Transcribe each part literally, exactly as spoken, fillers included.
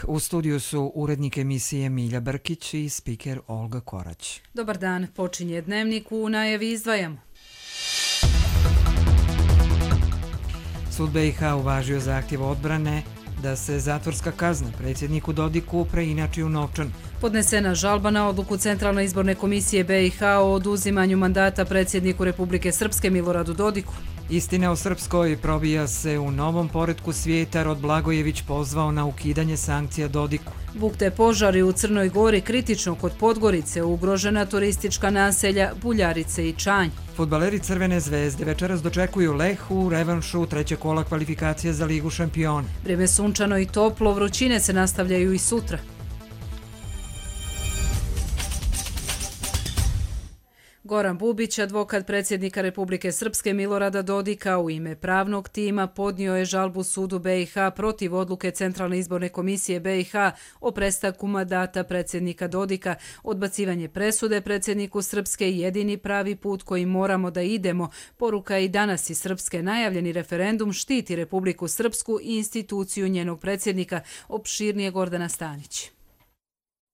U studiju su urednik emisije Milja Brkić i spiker Olga Korać. Dobar dan, počinje Dnevnik, u najavi izdvajamo. Sud B i H uvažio zahtjev odbrane da se zatvorska kazna predsjedniku Dodiku preinači u novčan. Podnesena žalba na odluku Centralne izborne komisije B i H o oduzimanju mandata predsjedniku Republike Srpske Miloradu Dodiku. Istina o Srpskoj probija se u novom poretku svijeta. Rod Blagojević pozvao na ukidanje sankcija Dodiku. Bukte požari u Crnoj Gori, kritično kod Podgorice, ugrožena turistička naselja Buljarice i Čanj. Fudbaleri Crvene zvezde večeras dočekuju Leh u revanšu trećeg kola kvalifikacije za Ligu šampiona. Vrijeme sunčano i toplo, vrućine se nastavljaju i sutra. Goran Bubić, advokat predsjednika Republike Srpske Milorada Dodika, u ime pravnog tima podnio je žalbu sudu B i H protiv odluke Centralne izborne komisije B i H o prestanku mandata predsjednika Dodika. Odbacivanje presude predsjedniku Srpske jedini pravi put koji moramo da idemo. Poruka i danas iz Srpske. Najavljeni referendum štiti Republiku Srpsku i instituciju njenog predsjednika. Opširnije Gordana Stanić.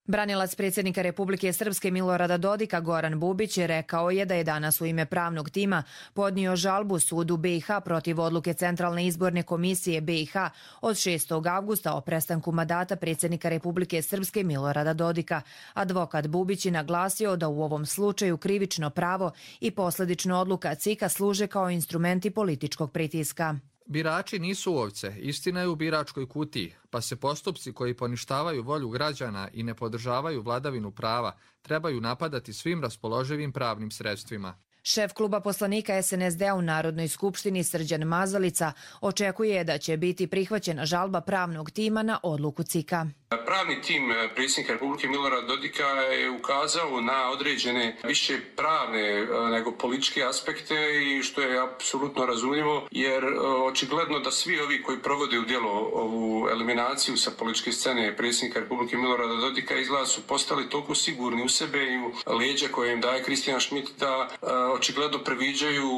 Branilac predsjednika Republike Srpske Milorada Dodika Goran Bubić je rekao je da je danas u ime pravnog tima podnio žalbu sudu B i H protiv odluke Centralne izborne komisije B i H od šestog avgusta o prestanku mandata predsjednika Republike Srpske Milorada Dodika. Advokat Bubić je naglasio da u ovom slučaju krivično pravo i posljedično odluka C I K-a služe kao instrumenti političkog pritiska. Birači nisu ovce, istina je u biračkoj kutiji, pa se postupci koji poništavaju volju građana i ne podržavaju vladavinu prava trebaju napadati svim raspoloživim pravnim sredstvima. Šef kluba poslanika S N S D-a u Narodnoj skupštini Srđan Mazalica očekuje da će biti prihvaćena žalba pravnog tima na odluku C I K-a. Pravni tim predsjednika Republike Milorada Dodika je ukazao na određene više pravne nego političke aspekte i što je apsolutno razumljivo, jer očigledno da svi ovi koji provode u djelo ovu eliminaciju sa političke scene predsjednika Republike Milorada Dodika izgleda su postali toliko sigurni u sebe i u leđa koje im daje Kristijan Schmidt da očigledno previđaju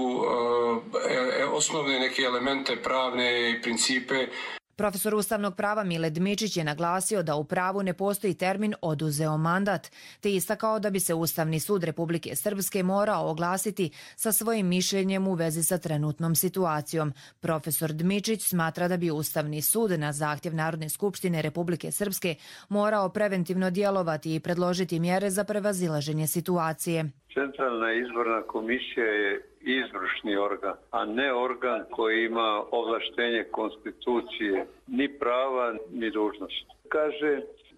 osnovne neke elemente pravne i principe. Profesor ustavnog prava Mile Dmičić je naglasio da u pravu ne postoji termin oduzeo mandat, te istakao da bi se Ustavni sud Republike Srpske morao oglasiti sa svojim mišljenjem u vezi sa trenutnom situacijom. Profesor Dmičić smatra da bi Ustavni sud na zahtjev Narodne skupštine Republike Srpske morao preventivno djelovati i predložiti mjere za prevazilaženje situacije. Centralna izborna komisija je izvršni organ, a ne organ koji ima ovlaštenje konstitucije, ni prava, ni dužnost. Kaže,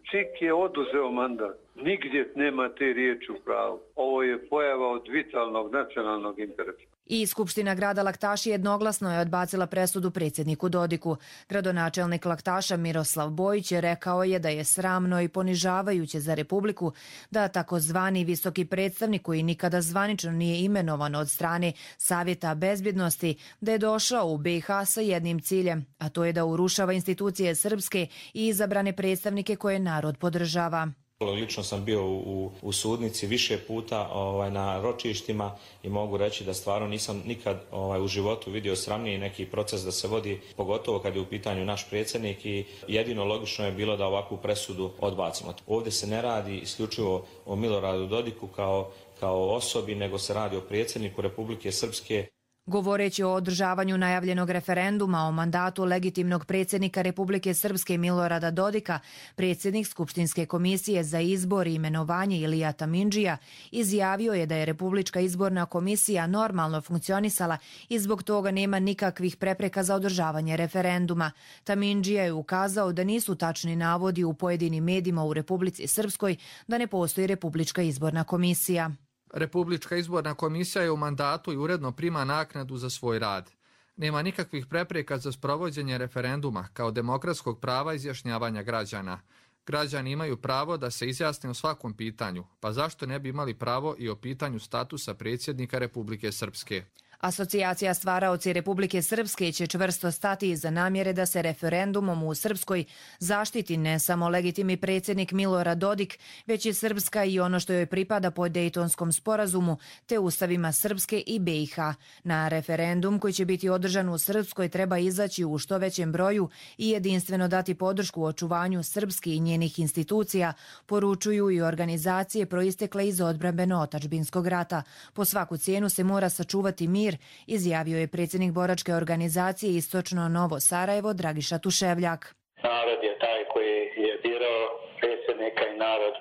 C I K je oduzeo mandat. Nigdje nema te riječi u pravu. Ovo je pojava od vitalnog nacionalnog interesa. I Skupština grada Laktaši jednoglasno je odbacila presudu predsjedniku Dodiku. Gradonačelnik Laktaša Miroslav Bojić je rekao je da je sramno i ponižavajuće za Republiku da takozvani visoki predstavnik koji nikada zvanično nije imenovan od strane Savjeta bezbjednosti, da je došao u B i H sa jednim ciljem, a to je da urušava institucije srpske i izabrane predstavnike koje narod podržava. Lično sam bio u, u sudnici više puta ovaj, na ročištima i mogu reći da stvarno nisam nikad ovaj, u životu vidio sramniji neki proces da se vodi, pogotovo kad je u pitanju naš predsjednik, i jedino logično je bilo da ovakvu presudu odbacimo. Ovdje se ne radi isključivo o Miloradu Dodiku kao, kao osobi, nego se radi o predsjedniku Republike Srpske. Govoreći o održavanju najavljenog referenduma o mandatu legitimnog predsjednika Republike Srpske Milorada Dodika, predsjednik Skupštinske komisije za izbor i imenovanje Ilija Tamindžija izjavio je da je Republička izborna komisija normalno funkcionisala i zbog toga nema nikakvih prepreka za održavanje referenduma. Tamindžija je ukazao da nisu tačni navodi u pojedinim medijima u Republici Srpskoj da ne postoji Republička izborna komisija. Republička izborna komisija je u mandatu i uredno prima naknadu za svoj rad. Nema nikakvih prepreka za sprovođenje referenduma kao demokratskog prava izjašnjavanja građana. Građani imaju pravo da se izjasne o svakom pitanju, pa zašto ne bi imali pravo i o pitanju statusa predsjednika Republike Srpske? Asocijacija stvaraoci Republike Srpske će čvrsto stati iza namjere da se referendumom u Srpskoj zaštiti ne samo legitimni predsjednik Milorad Dodik, već i Srpska i ono što joj pripada po Dejtonskom sporazumu, te ustavima Srpske i B i H. Na referendum koji će biti održan u Srpskoj treba izaći u što većem broju i jedinstveno dati podršku u očuvanju Srpske i njenih institucija, poručuju i organizacije proistekle iz odbrambeno-otačbinskog rata. Po svaku cijenu se mora sačuvati mir, izjavio je predsjednik boračke organizacije Istočno Novo Sarajevo Dragiša Tuševljak. Narod je taj koji je birao predsjednika i narod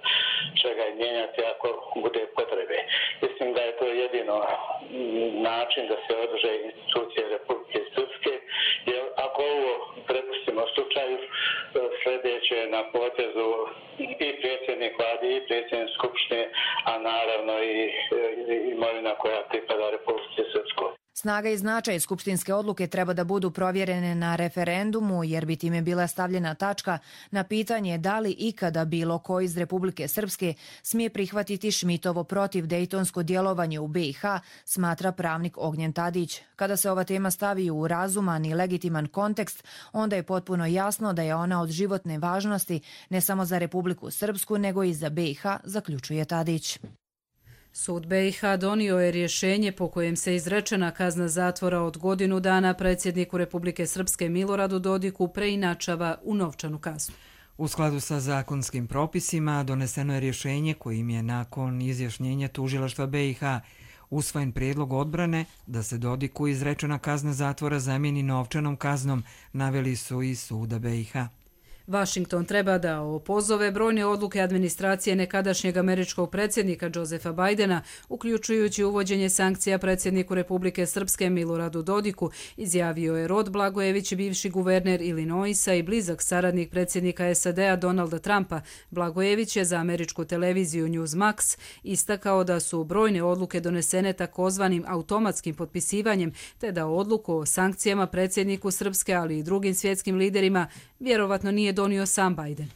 će ga mijenjati ako bude potrebe. Mislim da je to jedino način da se održe institucije Republike Srpske, jer ako ovo prepustimo slučaju, sljedeće na potezu i predsjednik vlade i predsjednik skupštine, a naravno i imovina koja pripada Republike Srpskoj. Snaga i značaj skupštinske odluke treba da budu provjerene na referendumu, jer bi time bila stavljena tačka na pitanje da li ikada bilo ko iz Republike Srpske smije prihvatiti Šmitovo protiv dejtonsko djelovanje u B i H, smatra pravnik Ognjen Tadić. Kada se ova tema stavi u razuman i legitiman kontekst, onda je potpuno jasno da je ona od životne važnosti ne samo za Republiku Srpsku, nego i za B i H, zaključuje Tadić. Sud B i H donio je rješenje po kojem se izrečena kazna zatvora od godinu dana predsjedniku Republike Srpske Miloradu Dodiku preinačava u novčanu kaznu. U skladu sa zakonskim propisima doneseno je rješenje kojim je nakon izjašnjenja tužilaštva B i H usvojen prijedlog odbrane da se Dodiku izrečena kazna zatvora zamijeni novčanom kaznom, naveli su iz suda B i H. Washington treba da opozove brojne odluke administracije nekadašnjeg američkog predsjednika Josefa Bidena, uključujući uvođenje sankcija predsjedniku Republike Srpske Miloradu Dodiku, izjavio je Rod Blagojević, bivši guverner Illinoisa i blizak saradnik predsjednika S A D-a Donalda Trumpa. Blagojević je za američku televiziju Newsmax istakao da su brojne odluke donesene takozvanim automatskim potpisivanjem, te da odluku o sankcijama predsjedniku Srpske, ali i drugim svjetskim liderima, vjerovatno nije donio sam Biden.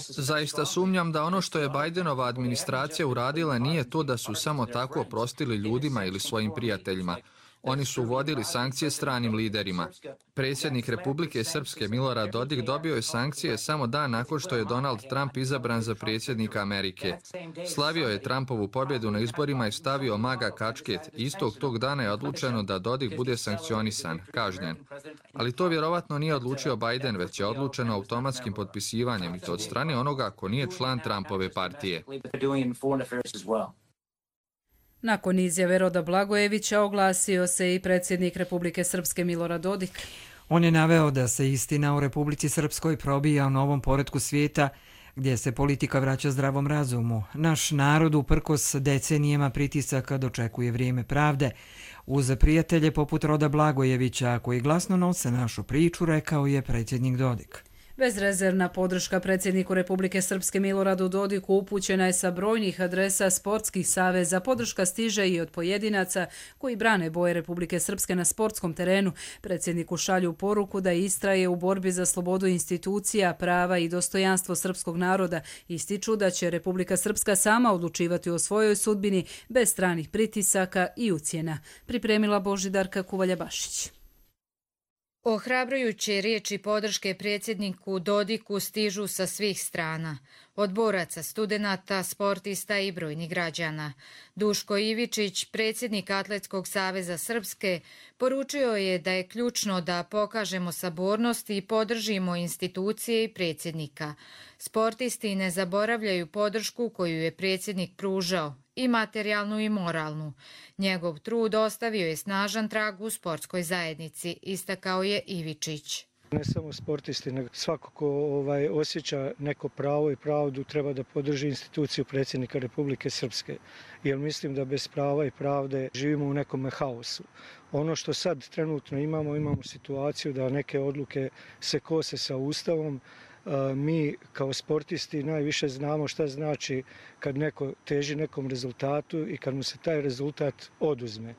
Zaista sumnjam da ono što je Bidenova administracija uradila nije to da su samo tako oprostili ljudima ili svojim prijateljima. Oni su uvodili sankcije stranim liderima. Predsjednik Republike Srpske Milorad Dodik dobio je sankcije samo dan nakon što je Donald Trump izabran za predsjednika Amerike. Slavio je Trumpovu pobjedu na izborima i stavio maga kačket. Istog tog dana je odlučeno da Dodik bude sankcionisan, kažnjen. Ali to vjerovatno nije odlučio Biden, već je odlučeno automatskim potpisivanjem i to od strane onoga ko nije član Trumpove partije. Nakon izjave Roda Blagojevića oglasio se i predsjednik Republike Srpske Milorad Dodik. On je naveo da se istina u Republici Srpskoj probija u novom poretku svijeta gdje se politika vraća zdravom razumu. Naš narod uprkos decenijama pritisaka dočekuje vrijeme pravde. Uz prijatelje poput Roda Blagojevića koji glasno nose našu priču, rekao je predsjednik Dodik. Bezrezervna podrška predsjedniku Republike Srpske Miloradu Dodiku upućena je sa brojnih adresa sportskih saveza. Podrška stiže i od pojedinaca koji brane boje Republike Srpske na sportskom terenu. Predsjedniku šalju poruku da istraje u borbi za slobodu institucija, prava i dostojanstvo srpskog naroda. Ističu da će Republika Srpska sama odlučivati o svojoj sudbini bez stranih pritisaka i ucjena. Pripremila Božidarka Kuvalja-Bašić. Ohrabrujuće riječi podrške predsjedniku Dodiku stižu sa svih strana, od boraca, studenata, sportista i brojnih građana. Duško Ivičić, predsjednik Atletskog saveza Srpske, poručio je da je ključno da pokažemo sabornost i podržimo institucije i predsjednika. Sportisti ne zaboravljaju podršku koju je predsjednik pružao, i materijalnu i moralnu. Njegov trud ostavio je snažan trag u sportskoj zajednici, istakao je Ivičić. Ne samo sportisti, nego svako ko ovaj, osjeća neko pravo i pravdu treba da podrži instituciju predsjednika Republike Srpske. Jer mislim da bez prava i pravde živimo u nekom haosu. Ono što sad trenutno imamo, imamo situaciju da neke odluke se kose sa Ustavom. Mi kao sportisti najviše znamo šta znači kad neko teži nekom rezultatu i kad mu se taj rezultat oduzme.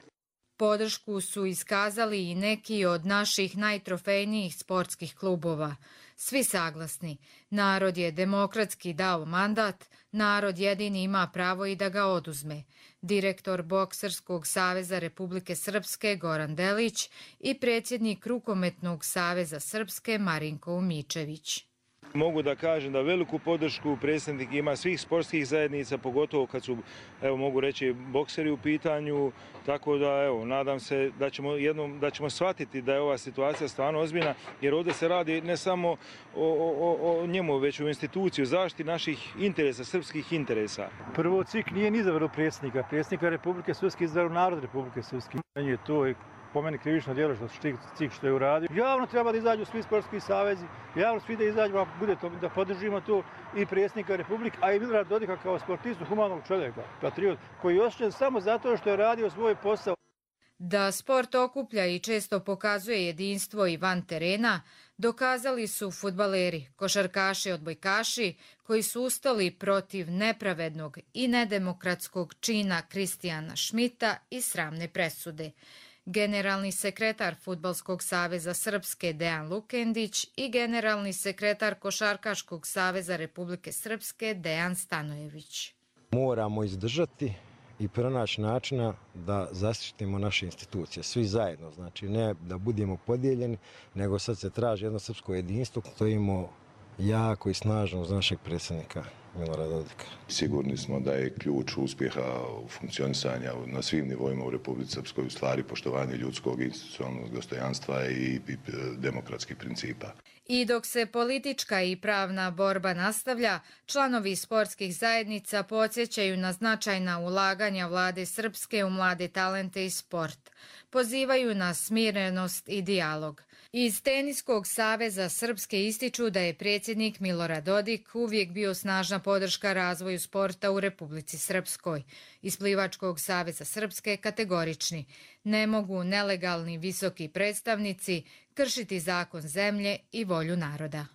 Podršku su iskazali i neki od naših najtrofejnijih sportskih klubova. Svi saglasni. Narod je demokratski dao mandat, narod jedini ima pravo i da ga oduzme. Direktor Bokserskog saveza Republike Srpske Goran Delić i predsjednik Rukometnog saveza Srpske Marinko Umičević. Mogu da kažem da veliku podršku predsjednik ima svih sportskih zajednica, pogotovo kad su, evo mogu reći, bokseri u pitanju, tako da evo, nadam se da ćemo jednom, da ćemo shvatiti da je ova situacija stvarno ozbiljna, jer ovdje se radi ne samo o, o, o njemu, već o instituciju, zaštiti naših interesa, srpskih interesa. Prvo, C I K nije ni izabrao predsjednika, predsjednika Republike Srpske izabrao narod Republike Srpske. Je to je po meni krivično djelo što C I K što je uradio. Javno treba da izađu svi sportski savezi, javno svi da izađu, ako bude to, da podržimo to i predsjednika Republike, a i Milorada Dodika kao sportistu, humanog čovjeka, patriot, koji je osjećan samo zato što je radio svoj posao. Da sport okuplja i često pokazuje jedinstvo i van terena, dokazali su fudbaleri, košarkaši, odbojkaši, koji su ustali protiv nepravednog i nedemokratskog čina Kristijana Šmita i sramne presude. Generalni sekretar Fudbalskog saveza Srpske Dejan Lukendić i generalni sekretar Košarkaškog saveza Republike Srpske Dejan Stanojević. Moramo izdržati i pronaći načina da zaštitimo naše institucije, svi zajedno. Znači ne da budemo podijeljeni, nego sad se traži jedno srpsko jedinstvo, stojimo jako i snažno uz našeg predsjednika Milorada Dodika. Sigurni smo da je ključ uspjeha funkcionisanja na svim nivoima u Republici Srpskoj u stvari poštovanje ljudskog i institucionalnog dostojanstva i, i demokratskih principa. I dok se politička i pravna borba nastavlja, članovi sportskih zajednica podsjećaju na značajna ulaganja vlade Srpske u mlade talente i sport. Pozivaju na smirenost i dijalog. Iz Teniskog saveza Srpske ističu da je predsjednik Milorad Dodik uvijek bio snažna podrška razvoju sporta u Republici Srpskoj. Iz Plivačkog saveza Srpske kategorični. Ne mogu nelegalni visoki predstavnici kršiti zakon zemlje i volju naroda.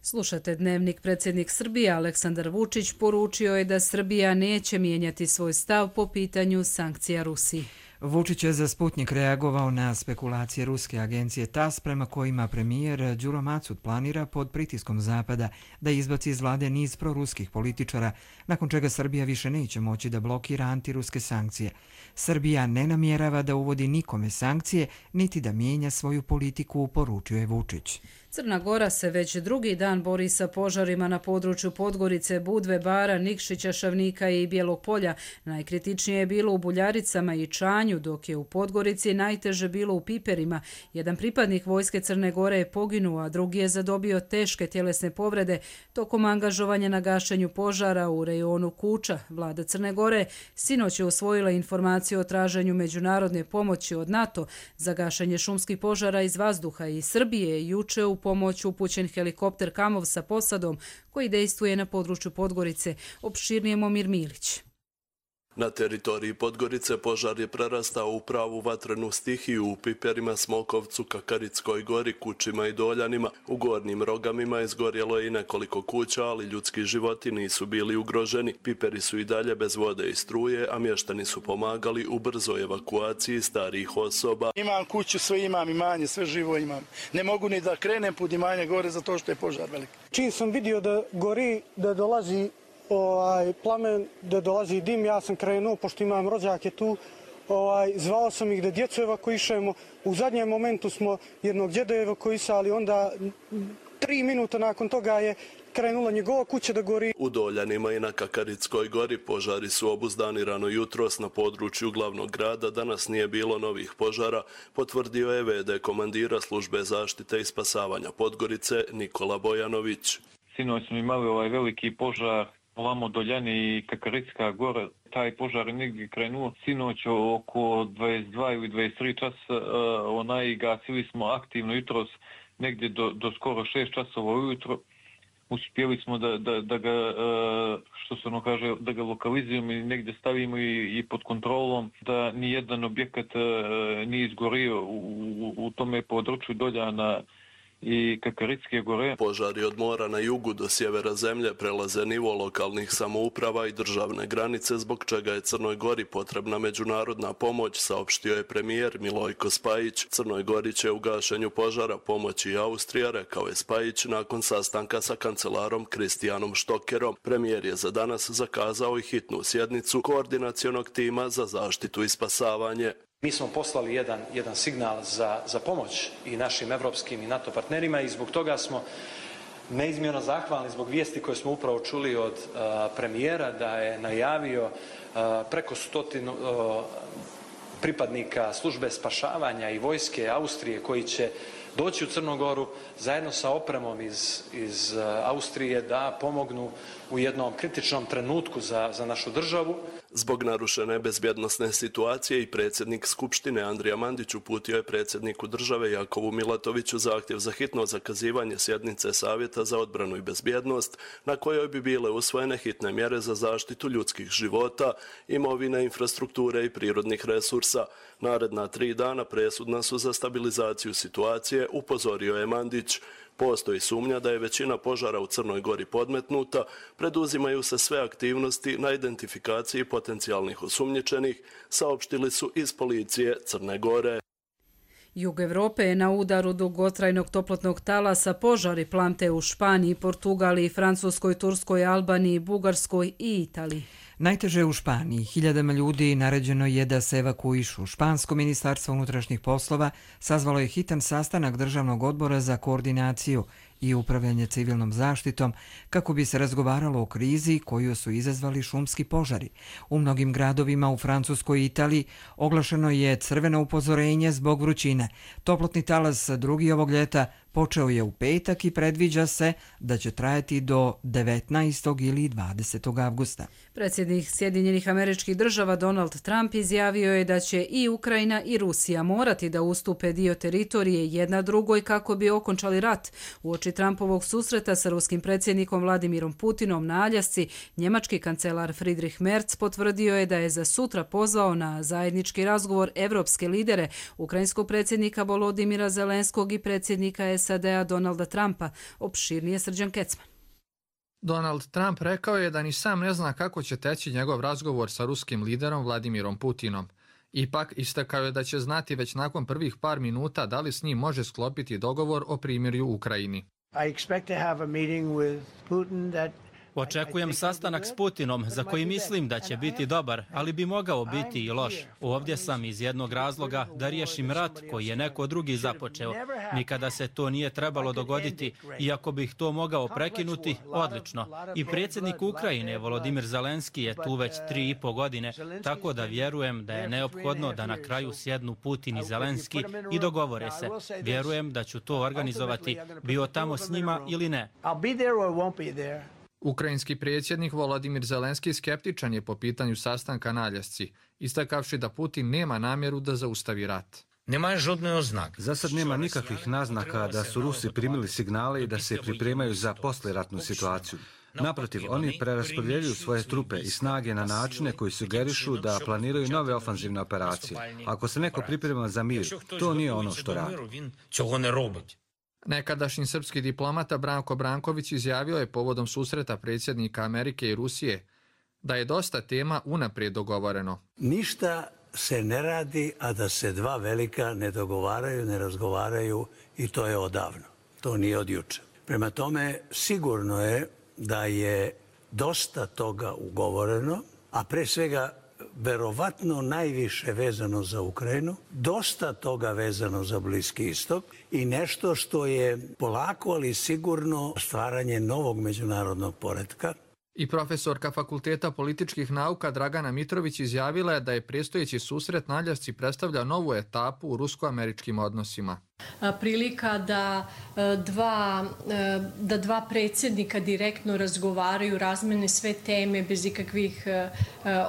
Slušate Dnevnik. Predsjednik Srbije Aleksandar Vučić poručio je da Srbija neće mijenjati svoj stav po pitanju sankcija Rusiji. Vučić je za Sputnik reagovao na spekulacije ruske agencije TAS prema kojima premijer Đuro Macud planira pod pritiskom Zapada da izbaci iz vlade niz proruskih političara, nakon čega Srbija više neće moći da blokira antiruske sankcije. Srbija ne namjerava da uvodi nikome sankcije, niti da mijenja svoju politiku, poručio je Vučić. Crna Gora se već drugi dan bori sa požarima na području Podgorice, Budve, Bara, Nikšića, Šavnika i Bijelog polja. Najkritičnije je bilo u Buljaricama i Čanju, dok je u Podgorici najteže bilo u Piperima. Jedan pripadnik vojske Crne Gore je poginuo, a drugi je zadobio teške tjelesne povrede tokom angažovanja na gašenju požara u rejonu Kuča. Vlada Crne Gore sinoć je usvojila informaciju o traženju međunarodne pomoći od NATO za gašenje šumskih požara iz vazduha i Srbije juče u pomoć upućen helikopter Kamov sa posadom koji dejstvuje na području Podgorice. Opširnije Momir Milić. Na teritoriji Podgorice požar je prerastao u pravu vatrenu stihiju u Piperima, Smokovcu, Kakarickoj gori, Kučima i Doljanima. U gornjim Rogamima izgorjelo je i nekoliko kuća, ali ljudski životi nisu bili ugroženi. Piperi su i dalje bez vode i struje, a mještani su pomagali u brzoj evakuaciji starijih osoba. Imam kuću, sve imam, imanje, sve živo imam. Ne mogu ni da krenem put imanje gore zato što je požar velik. Čim sam vidio da gori, da dolazi Ovaj, plamen, da dolazi dim, ja sam krenuo, pošto imam rođake tu, ovaj, zvao sam ih da djecu evakuišemo. U zadnjem momentu smo jednog djeda evakuisali, onda tri minuta nakon toga je krenula njegova kuća da gori. U Doljanima i na Kakarickoj gori požari su obuzdani rano jutros na području glavnog grada. Danas nije bilo novih požara, potvrdio je ve de komandira službe zaštite i spasavanja Podgorice Nikola Bojanović. Sinoć smo imali ovaj veliki požar ovamo Doljani i Kakaricka gora. Taj požar je negdje krenuo sinoć oko dvadeset dva ili dvadeset tri časa. Onaj gasili smo aktivno jutros negdje do, do skoro šest časova ujutro. Uspjeli smo da, da, da ga, što se ono kaže, da ga lokalizujemo i negdje stavimo i, i pod kontrolom, da nijedan objekat nije izgorio u, u, u tome području Doljana i Kakaritske gore. Požari od mora na jugu do sjevera zemlje prelaze nivo lokalnih samouprava i državne granice, zbog čega je Crnoj Gori potrebna međunarodna pomoć, saopštio je premijer Milojko Spajić. Crnoj Gori će u gašenju požara pomoći i Austrija, rekao je Spajić nakon sastanka sa kancelarom Kristijanom Štokerom. Premijer je za danas zakazao i hitnu sjednicu koordinacionog tima za zaštitu i spasavanje. Mi smo poslali jedan, jedan signal za, za pomoć i našim evropskim i NATO partnerima i zbog toga smo neizmjerno zahvalni zbog vijesti koje smo upravo čuli od uh, premijera da je najavio uh, preko stotinu uh, pripadnika službe spašavanja i vojske Austrije koji će doći u Crnu Goru zajedno sa opremom iz, iz Austrije da pomognu u jednom kritičnom trenutku za, za našu državu. Zbog narušene bezbjednosne situacije i predsjednik Skupštine Andrija Mandić uputio je predsjedniku države Jakovu Milatoviću zahtjev za hitno zakazivanje sjednice Savjeta za odbranu i bezbjednost, na kojoj bi bile usvojene hitne mjere za zaštitu ljudskih života, imovine, infrastrukture i prirodnih resursa. Naredna tri dana presudna su za stabilizaciju situacije, upozorio je Mandić. Postoji sumnja da je većina požara u Crnoj Gori podmetnuta, preduzimaju se sve aktivnosti na identifikaciji potencijalnih osumnjičenih, saopštili su iz policije Crne Gore. Jug Evrope je na udaru dugotrajnog toplotnog talasa, požari plamte u Španiji, Portugaliji, Francuskoj, Turskoj, Albaniji, Bugarskoj i Italiji. Najteže u Španiji. Hiljadama ljudi naređeno je da se evakuišu. Špansko ministarstvo unutrašnjih poslova sazvalo je hitan sastanak Državnog odbora za koordinaciju i upravljanje civilnom zaštitom kako bi se razgovaralo o krizi koju su izazvali šumski požari. U mnogim gradovima u Francuskoj i Italiji oglašeno je crveno upozorenje zbog vrućine. Toplotni talas drugi ovog ljeta počeo je u petak i predviđa se da će trajati do devetnaestog ili dvadesetog avgusta. Predsjednik Sjedinjenih Američkih Država Donald Trump izjavio je da će i Ukrajina i Rusija morati da ustupe dio teritorije jedna drugoj kako bi okončali rat. Uoči Trumpovog susreta sa ruskim predsjednikom Vladimirom Putinom na Aljasci, njemački kancelar Friedrich Merz potvrdio je da je za sutra pozvao na zajednički razgovor evropske lidere, ukrajinskog predsjednika Volodimira Zelenskog i predsjednika S A D-a Donalda Trumpa. Opširnije Srđan Kecman. Donald Trump rekao je da ni sam ne zna kako će teći njegov razgovor sa ruskim liderom Vladimirom Putinom. Ipak istakao je da će znati već nakon prvih par minuta da li s njim može sklopiti dogovor o primirju u Ukrajini. I expect to have a meeting with Putin that Očekujem sastanak s Putinom za koji mislim da će biti dobar, ali bi mogao biti i loš. Ovdje sam iz jednog razloga da riješim rat koji je neko drugi započeo. Nikada se to nije trebalo dogoditi i ako bih to mogao prekinuti, odlično. I predsjednik Ukrajine, Volodimir Zelenski, je tu već tri i po godine, tako da vjerujem da je neophodno da na kraju sjednu Putin i Zelenski i dogovore se. Vjerujem da ću to organizovati, bio tamo s njima ili ne. Ukrajinski predsjednik Volodimir Zelenski skeptičan je po pitanju sastanka na Aljasci, istakavši da Putin nema namjeru da zaustavi rat. Za sad nema nikakvih naznaka da su Rusi primili signale i da se pripremaju za posleratnu situaciju. Naprotiv, oni preraspodjeljuju svoje trupe i snage na načine koji sugerišu da planiraju nove ofanzivne operacije. Ako se neko priprema za mir, to nije ono što radi. Nekadašnji srpski diplomata Branko Branković izjavio je povodom susreta predsjednika Amerike i Rusije da je dosta tema unaprijed dogovoreno. Ništa se ne radi, a da se dva velika ne dogovaraju, ne razgovaraju i to je odavno. To nije od juče. Prema tome, sigurno je da je dosta toga ugovoreno, a pre svega verovatno najviše vezano za Ukrajinu, dosta toga vezano za Bliski istok i nešto što je polako, ali sigurno stvaranje novog međunarodnog poretka. I profesorka Fakulteta političkih nauka Dragana Mitrović izjavila je da je predstojeći susret na Aljasci predstavlja novu etapu u rusko-američkim odnosima. Prilika da dva, da dva predsjednika direktno razgovaraju, razmene sve teme bez ikakvih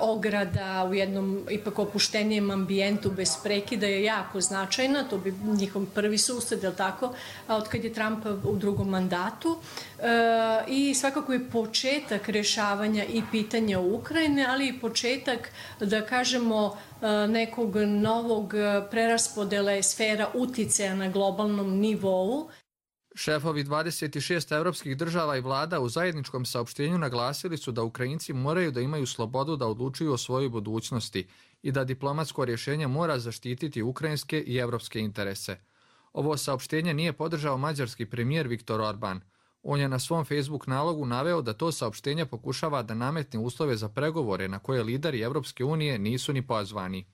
ograda u jednom ipak opuštenijem ambijentu bez prekida je jako značajna. To bi njihov prvi susret, je li tako, od kad je Trump u drugom mandatu. I svakako je početak rješavanja i pitanja Ukrajine, ali i početak, da kažemo, nekog novog preraspodele sfera uticaja na globalnom nivou. Šefovi dvadeset šest evropskih država i vlada u zajedničkom saopštenju naglasili su da Ukrajinci moraju da imaju slobodu da odlučuju o svojoj budućnosti i da diplomatsko rješenje mora zaštititi ukrajinske i evropske interese. Ovo saopštenje nije podržao mađarski premijer Viktor Orban. On je na svom Facebook nalogu naveo da to saopštenje pokušava da nametne uslove za pregovore na koje lideri Evropske unije nisu ni pozvani.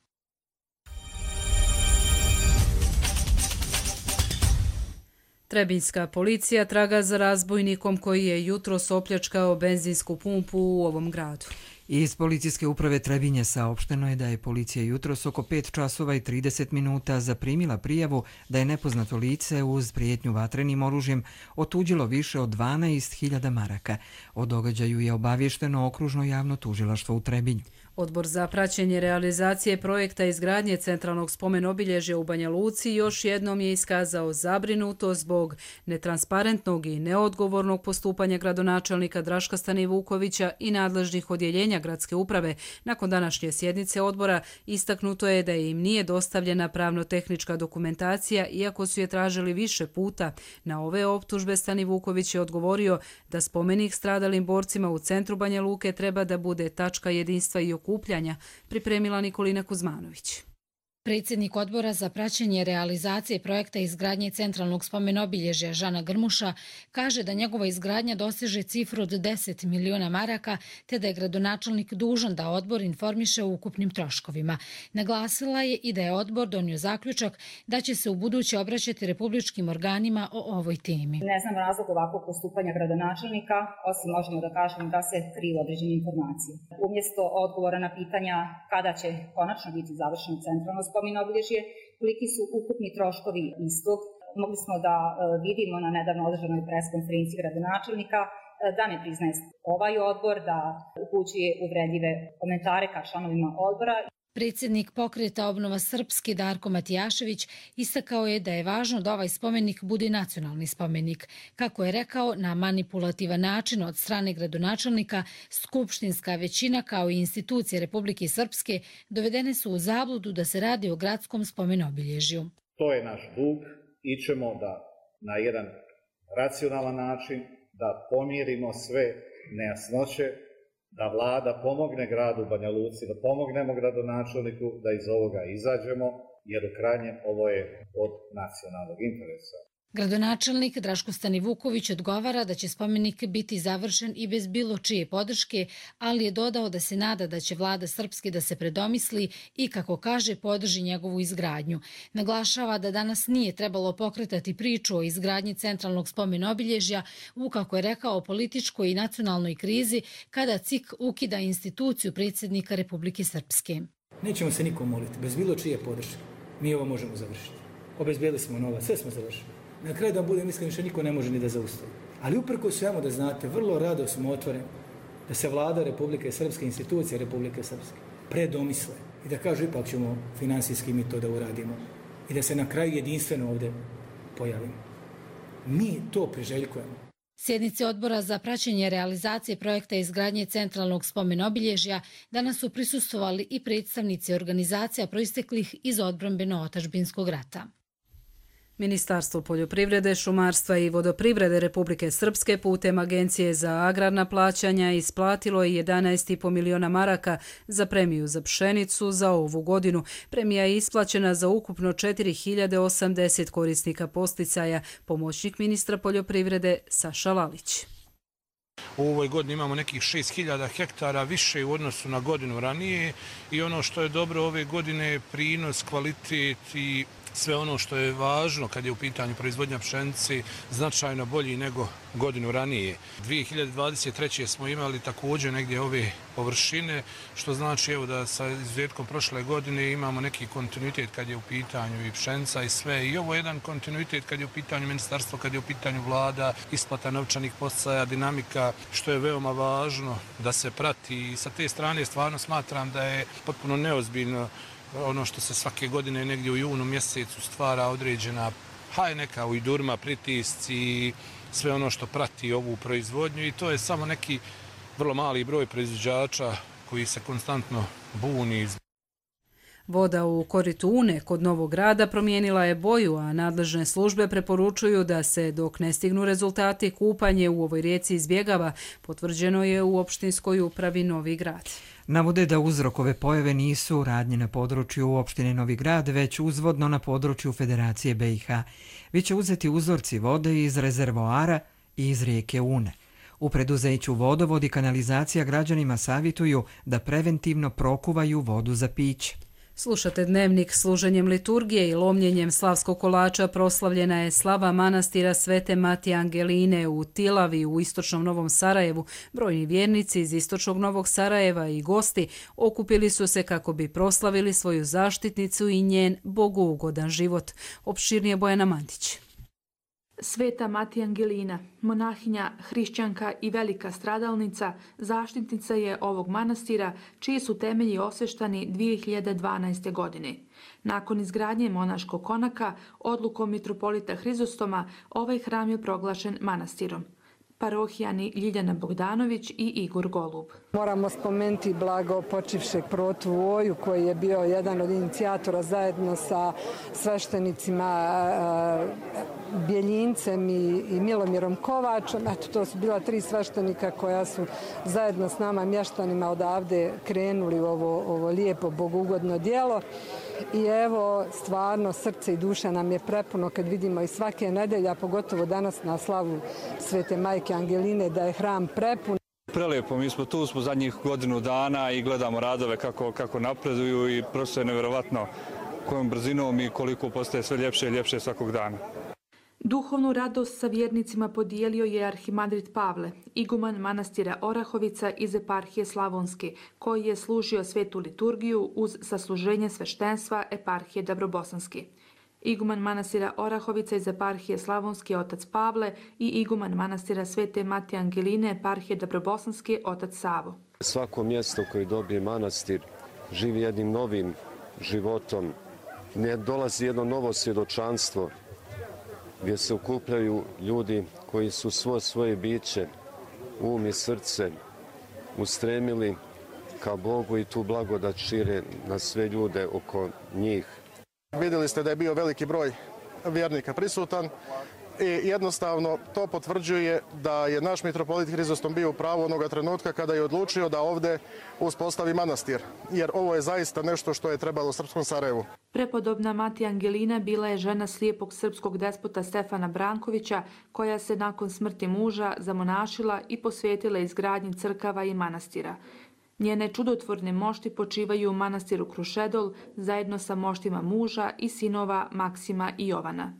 Trebinjska policija traga za razbojnikom koji je jutros opljačkao benzinsku pumpu u ovom gradu. Iz policijske uprave Trebinje saopšteno je da je policija jutros oko pet časova i trideset minuta zaprimila prijavu da je nepoznato lice uz prijetnju vatrenim oružjem otuđilo više od dvanaest hiljada maraka. O događaju je obavješteno okružno javno tužilaštvo u Trebinju. Odbor za praćenje realizacije projekta izgradnje centralnog spomen obilježja u Banja Luci još jednom je iskazao zabrinutost zbog netransparentnog i neodgovornog postupanja gradonačelnika Draška Stanivukovića i nadležnih odjeljenja gradske uprave. Nakon današnje sjednice odbora istaknuto je da im nije dostavljena pravno-tehnička dokumentacija, iako su je tražili više puta. Na ove optužbe Stanivuković je odgovorio da spomenik stradalim borcima u centru Banja Luke treba da bude tačka jedinstva i okupljanja, pripremila Nikolina Kuzmanović. Predsjednik odbora za praćenje realizacije projekta izgradnje centralnog spomen-obilježja Žana Grmuša kaže da njegova izgradnja doseže cifru od deset miliona maraka, te da je gradonačelnik dužan da odbor informiše o ukupnim troškovima. Naglasila je i da je odbor donio zaključak da će se u buduće obraćati republičkim organima o ovoj temi. Ne znam razlog ovakvog postupanja gradonačelnika, osim možemo da kažemo da se kriju određene informacije. Umjesto odgovora na pitanja kada će konačno biti završeno centralno spomen obilježje, koliki su ukupni troškovi istog. Mogli smo da vidimo na nedavno održanoj preskonferenciji gradonačelnika da ne priznaje ovaj odbor, da upućuje uvredljive komentare ka članovima odbora. Predsjednik pokreta Obnova Srpski Darko Matijašević istakao je da je važno da ovaj spomenik bude nacionalni spomenik. Kako je rekao, na manipulativan način od strane gradonačelnika, skupštinska većina kao i institucije Republike Srpske dovedene su u zabludu da se radi o gradskom spomen-obilježju. To je naš dug. Ićemo da na jedan racionalan način da pomirimo sve nejasnoće, da vlada pomogne gradu Banja Luci, da pomognemo gradonačelniku da iz ovoga izađemo, jer u krajnjem ovo je od nacionalnog interesa. Gradonačelnik Draško Stanivuković odgovara da će spomenik biti završen i bez bilo čije podrške, ali je dodao da se nada da će vlada Srpske da se predomisli i, kako kaže, podrži njegovu izgradnju. Naglašava da danas nije trebalo pokretati priču o izgradnji centralnog spomen-obilježja u, kako je rekao, političkoj i nacionalnoj krizi kada C I K ukida instituciju predsjednika Republike Srpske. Nećemo se nikom moliti, bez bilo čije podrške. Mi ovo možemo završiti. Obezbijeli smo novac, sve smo završili. Na kraju da budem iskren, više niko ne može ni da zaustavi. Ali uprko svemu da znate, vrlo rado smo otvoreni da se vlada Republike Srpske, institucije Republike Srpske predomisle i da kažu ipak ćemo finansijski mi to da uradimo i da se na kraju jedinstveno ovdje pojavimo. Mi to priželjkujemo. Sjednici odbora za praćenje realizacije projekta izgradnje centralnog spomen-obilježja danas su prisustvovali i predstavnici organizacija proisteklih iz odbrambeno-otadžbinskog rata. Ministarstvo poljoprivrede, šumarstva i vodoprivrede Republike Srpske putem Agencije za agrarna plaćanja isplatilo je jedanaest zarez pet miliona maraka za premiju za pšenicu za ovu godinu. Premija je isplaćena za ukupno četiri hiljade osamdeset korisnika posticaja, pomoćnik ministra poljoprivrede Saša Lalić. U ovoj godini imamo nekih šest hiljada hektara više u odnosu na godinu ranije i ono što je dobro ove godine je prinos, kvalitet i sve ono što je važno kad je u pitanju proizvodnja pšenice značajno bolji nego godinu ranije. dvije hiljade dvadeset treće. smo imali također negdje ove površine, što znači evo da sa izuzetkom prošle godine imamo neki kontinuitet kad je u pitanju i pšenica i sve. I ovo je jedan kontinuitet kad je u pitanju ministarstvo, kad je u pitanju vlada, isplata novčanih podsticaja, dinamika, što je veoma važno da se prati. I sa te strane stvarno smatram da je potpuno neozbiljno ono što se svake godine negdje u junu mjesecu stvara određena, haj neka ujdurma, pritisci i sve ono što prati ovu proizvodnju i to je samo neki vrlo mali broj proizvođača koji se konstantno buni. Voda u koritu Une kod Novog Grada promijenila je boju, a nadležne službe preporučuju da se, dok ne stignu rezultati, kupanje u ovoj rijeci izbjegava, potvrđeno je u opštinskoj upravi Novi Grad. Navode da uzrok ove pojave nisu radnje na području opštine Novi Grad, već uzvodno na području Federacije B i H. Biće uzeti uzorci vode iz rezervoara i iz rijeke Une. U preduzeću Vodovod i kanalizacija građanima savjetuju da preventivno prokuvaju vodu za piće. Slušate Dnevnik. Služenjem liturgije i lomljenjem slavskog kolača proslavljena je slava manastira Svete Matije Angeline u Tilavi u istočnom Novom Sarajevu. Brojni vjernici iz istočnog Novog Sarajeva i gosti okupili su se kako bi proslavili svoju zaštitnicu i njen bogougodan život. Opširnije Bojana Mandić. Sveta Matija Angelina, monahinja, hrišćanka i velika stradalnica, zaštitnica je ovog manastira, čiji su temelji osveštani dvije hiljade dvanaeste. godine. Nakon izgradnje monaškog konaka, odlukom mitropolita Hrizostoma, ovaj hram je proglašen manastirom. Parohijani Ljiljana Bogdanović i Igor Golub. Moramo spomenuti blago počivšeg protu Voju, koji je bio jedan od inicijatora zajedno sa sveštenicima Bjeljincem i Milomirom Kovačom. Eto, to su bila tri sveštenika koja su zajedno s nama mještanima odavde krenuli u ovo, ovo lijepo bogugodno djelo. I evo, stvarno, srce i duša nam je prepuno kad vidimo i svake nedelje, a pogotovo danas na slavu Svete Majke Angeline, da je hram prepun. Prelijepo, mi smo tu, smo zadnjih godinu dana i gledamo radove kako, kako napreduju i prosto je nevjerovatno kojom brzinom i koliko postaje sve ljepše i ljepše svakog dana. Duhovnu radost sa vjernicima podijelio je arhimandrit Pavle, iguman manastira Orahovica iz eparhije Slavonske, koji je služio svetu liturgiju uz sasluženje sveštenstva eparhije Dabrobosanske. Iguman manastira Orahovica iz eparhije Slavonske otac Pavle i iguman manastira Svete Matije Angeline eparhije Dabrobosanske otac Savo. Svako mjesto koje dobije manastir živi jednim novim životom, ne dolazi jedno novo svjedočanstvo gdje se okupljaju ljudi koji su svo svoje biće, um i srce ustremili ka Bogu i tu blagodat šire na sve ljude oko njih. Vidjeli ste da je bio veliki broj vjernika prisutan i jednostavno to potvrđuje da je naš mitropolit Hrizostom bio u pravu onoga trenutka kada je odlučio da ovdje uspostavi manastir, jer ovo je zaista nešto što je trebalo srpskom Sarajevu. Prepodobna Matija Angelina bila je žena slijepog srpskog despota Stefana Brankovića, koja se nakon smrti muža zamonašila i posvetila izgradnji crkava i manastira. Njene čudotvorne mošti počivaju u manastiru Krušedol zajedno sa moštima muža i sinova Maksima i Jovana.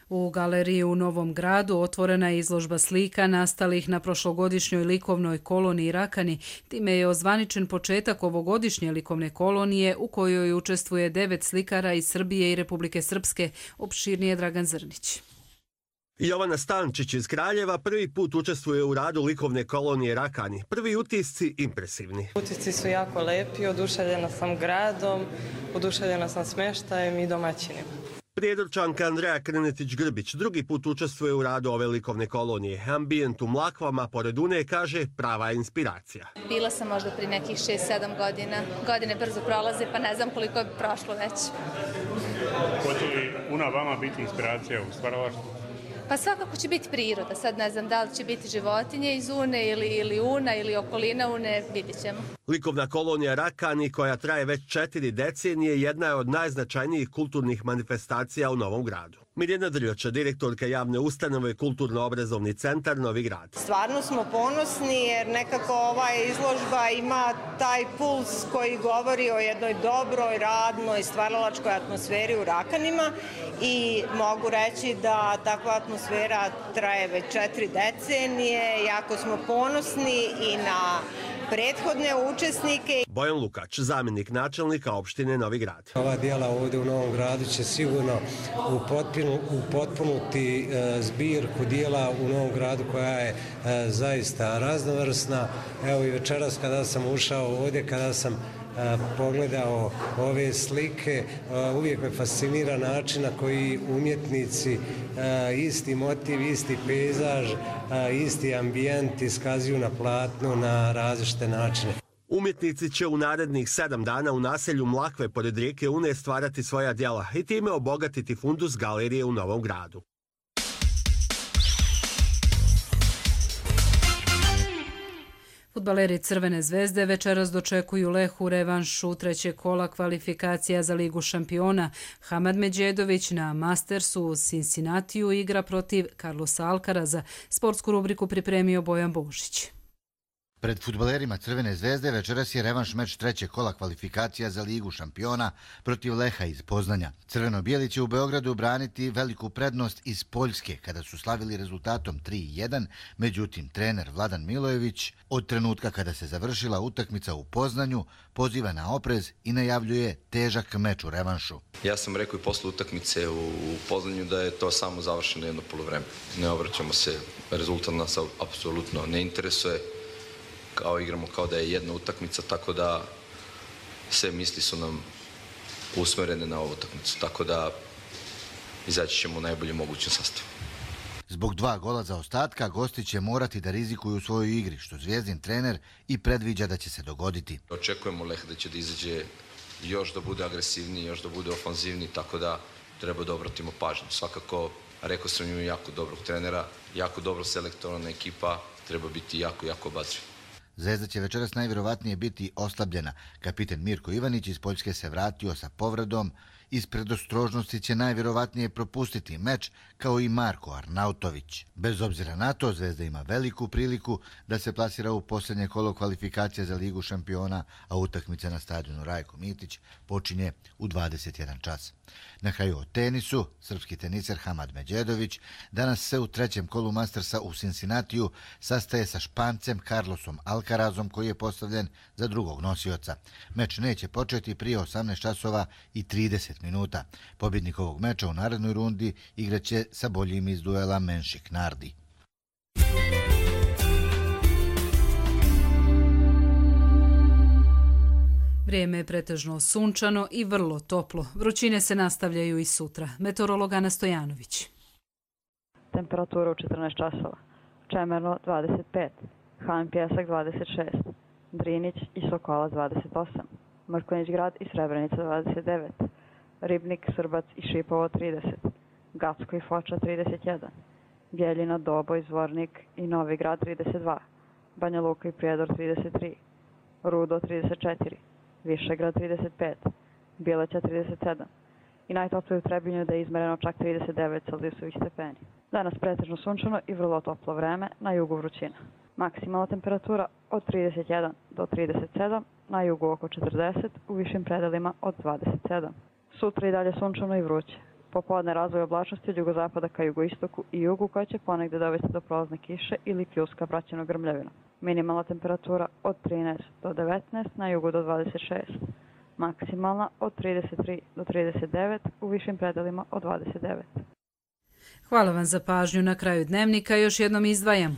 U galeriji u Novom Gradu otvorena je izložba slika nastalih na prošlogodišnjoj likovnoj koloniji Rakani. Time je ozvaničen početak ovogodišnje likovne kolonije u kojoj učestvuje devet slikara iz Srbije i Republike Srpske. Opširnije Dragan Zrnić. Jovana Stančić iz Kraljeva prvi put učestvuje u radu likovne kolonije Rakani. Prvi utisci impresivni. Utisci su jako lepi, oduševljena sam gradom, oduševljena sam smještajem i domaćinima. Prijedorčanka Andreja Krnetić-Grbić drugi put učestvuje u radu ove likovne kolonije. Ambijent u Mlakvama pored Une, kaže, prava je inspiracija. Bila sam možda pri nekih šest sedam godina. Godine brzo prolaze, pa ne znam koliko je prošlo već. Hoće li Una vama biti inspiracija u stvaralaštvu? Pa svakako će biti priroda. Sad ne znam da li će biti životinje iz Une ili, ili Una ili okolina Une, vidjet ćemo. Likovna kolonija Rakani, koja traje već četiri decenije, jedna je od najznačajnijih kulturnih manifestacija u Novom Gradu. Mirjana Drljoča, direktorka javne ustanove Kulturno-obrazovni centar Novi Grad. Stvarno smo ponosni jer nekako ova izložba ima taj puls koji govori o jednoj dobroj, radnoj, stvaralačkoj atmosferi u Rakanima i mogu reći da takva atmosfera traje već četiri decenije. Jako smo ponosni i na prethodne učesnike. Bojan Lukač, zamjenik načelnika opštine Novi Grad. Ova dijela ovdje u Novom Gradu će sigurno upotpunuti zbirku dijela u Novom Gradu koja je zaista raznovrsna. Evo i večeras kada sam ušao ovdje, kada sam pogledao ove slike, uvijek me fascinira način na koji umjetnici isti motiv, isti pejzaž, isti ambijent iskazuju na platnu na različite načine. Umjetnici će u narednih sedam dana u naselju Mlakve pored rijeke Une stvarati svoja djela i time obogatiti fundus galerije u Novom Gradu. Fudbaleri Crvene zvezde večeras dočekuju Lehu revanšu trećeg kola kvalifikacija za Ligu šampiona. Hamad Medjedović na Mastersu u Cincinnatiju igra protiv Carlosa Alcaraza. Sportsku rubriku pripremio Bojan Božić. Pred fudbalerima Crvene zvezde večeras je revanš meč trećeg kola kvalifikacija za Ligu šampiona protiv Leha iz Poznanja. Crveno-bijeli će u Beogradu braniti veliku prednost iz Poljske kada su slavili rezultatom tri jedan, međutim trener Vladan Milojević od trenutka kada se završila utakmica u Poznanju poziva na oprez i najavljuje težak meč u revanšu. Ja sam rekao i posle utakmice u Poznanju da je to samo završeno jedno poluvreme. Ne obraćamo se, rezultat nas apsolutno ne interesuje. Kao igramo kao da je jedna utakmica, tako da sve misli su nam usmerene na ovu utakmicu, tako da izaći ćemo u najbolji mogućem sastavu. Zbog dva gola za ostatka, gosti će morati da rizikuju u svojoj igri, što Zvijezdin trener i predviđa da će se dogoditi. Očekujemo Leh da će da izađe još da bude agresivniji, još da bude ofanzivniji, tako da treba da obratimo pažnju. Svakako, rekao sam im jako dobrog trenera, jako dobro selektovana ekipa, treba biti jako, jako obazriv. Zvezda će večeras najvjerovatnije biti oslabljena. Kapiten Mirko Ivanić iz Poljske se vratio sa povredom. Iz predostrožnosti će najvjerovatnije propustiti meč kao i Marko Arnautović. Bez obzira na to, Zvezda ima veliku priliku da se plasira u posljednje kolo kvalifikacija za Ligu šampiona, a utakmica na stadionu Rajko Mitić počinje u dvadeset jedan čas. Na kraju o tenisu, srpski teniser Hamad Medjedović danas se u trećem kolu Mastersa u Cincinnatiju sastaje sa Špancem Carlosom Alcarazom koji je postavljen za drugog nosioca. Meč neće početi prije osamnaest časova i trideset minuta. Pobjednik ovog meča u narednoj rundi igraće sa boljim iz duela Menšik Nardi. Vrijeme je pretežno sunčano i vrlo toplo. Vrućine se nastavljaju i sutra. Meteorolog Ana Stojanović. Temperatura u četrnaest časova. Čemerno dvadeset pet, Han Pjesak dvadeset šest, Drinić i Sokolac dvadeset osam, Mrkonjić Grad i Srebrenica dvadeset devet, Ribnik, Srbac i Šipovo trideset, Gacko i Foča trideset jedan, Bjeljina, Doboj, Zvornik i Novi Grad trideset dva, Banja Luka i Prijedor trideset tri, Rudo trideset četiri, Višegrad trideset pet, Bileća trideset sedam i najtoplije u Trebinju da je izmereno čak trideset devet Celzijusovih stepeni. Danas pretežno sunčano i vrlo toplo vreme, na jugu vrućina. Maksimalna temperatura od trideset jedan do trideset sedam, na jugu oko četrdeset, u višim predelima od dvadeset sedam. Sutra i dalje sunčano i vruće. Popodne razvoj oblačnosti od jugozapada ka jugoistoku i jugu koja će ponegde dovesti do prolazne kiše ili pljuska praćeno grmljavinom. Minimalna temperatura od trinaest do devetnaest, na jugu do dvadeset šest. Maksimalna od trideset tri do trideset devet, u višim predelima od dvadeset devet. Hvala vam za pažnju. Na kraju dnevnika još jednom izdvajamo.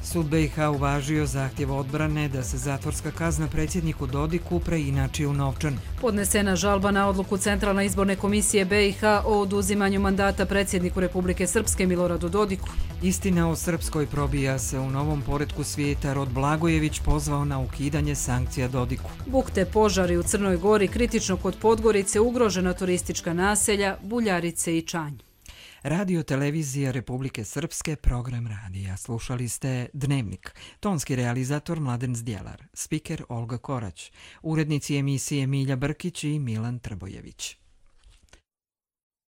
Sud B i H uvažio zahtjev odbrane da se zatvorska kazna predsjedniku Dodiku preinači u novčan. Podnesena žalba na odluku Centralne izborne komisije B i H o oduzimanju mandata predsjedniku Republike Srpske Miloradu Dodiku. Istina o Srpskoj probija se u novom poretku svijeta. Rod Blagojević pozvao na ukidanje sankcija Dodiku. Bukte požari u Crnoj Gori, kritično kod Podgorice, ugrožena turistička naselja, Buljarice i Čanj. Radio televizija Republike Srpske, program radija. Slušali ste Dnevnik. Tonski realizator Mladen Zdjelar, spiker Olga Korać, urednici emisije Milja Brkić i Milan Trbojević.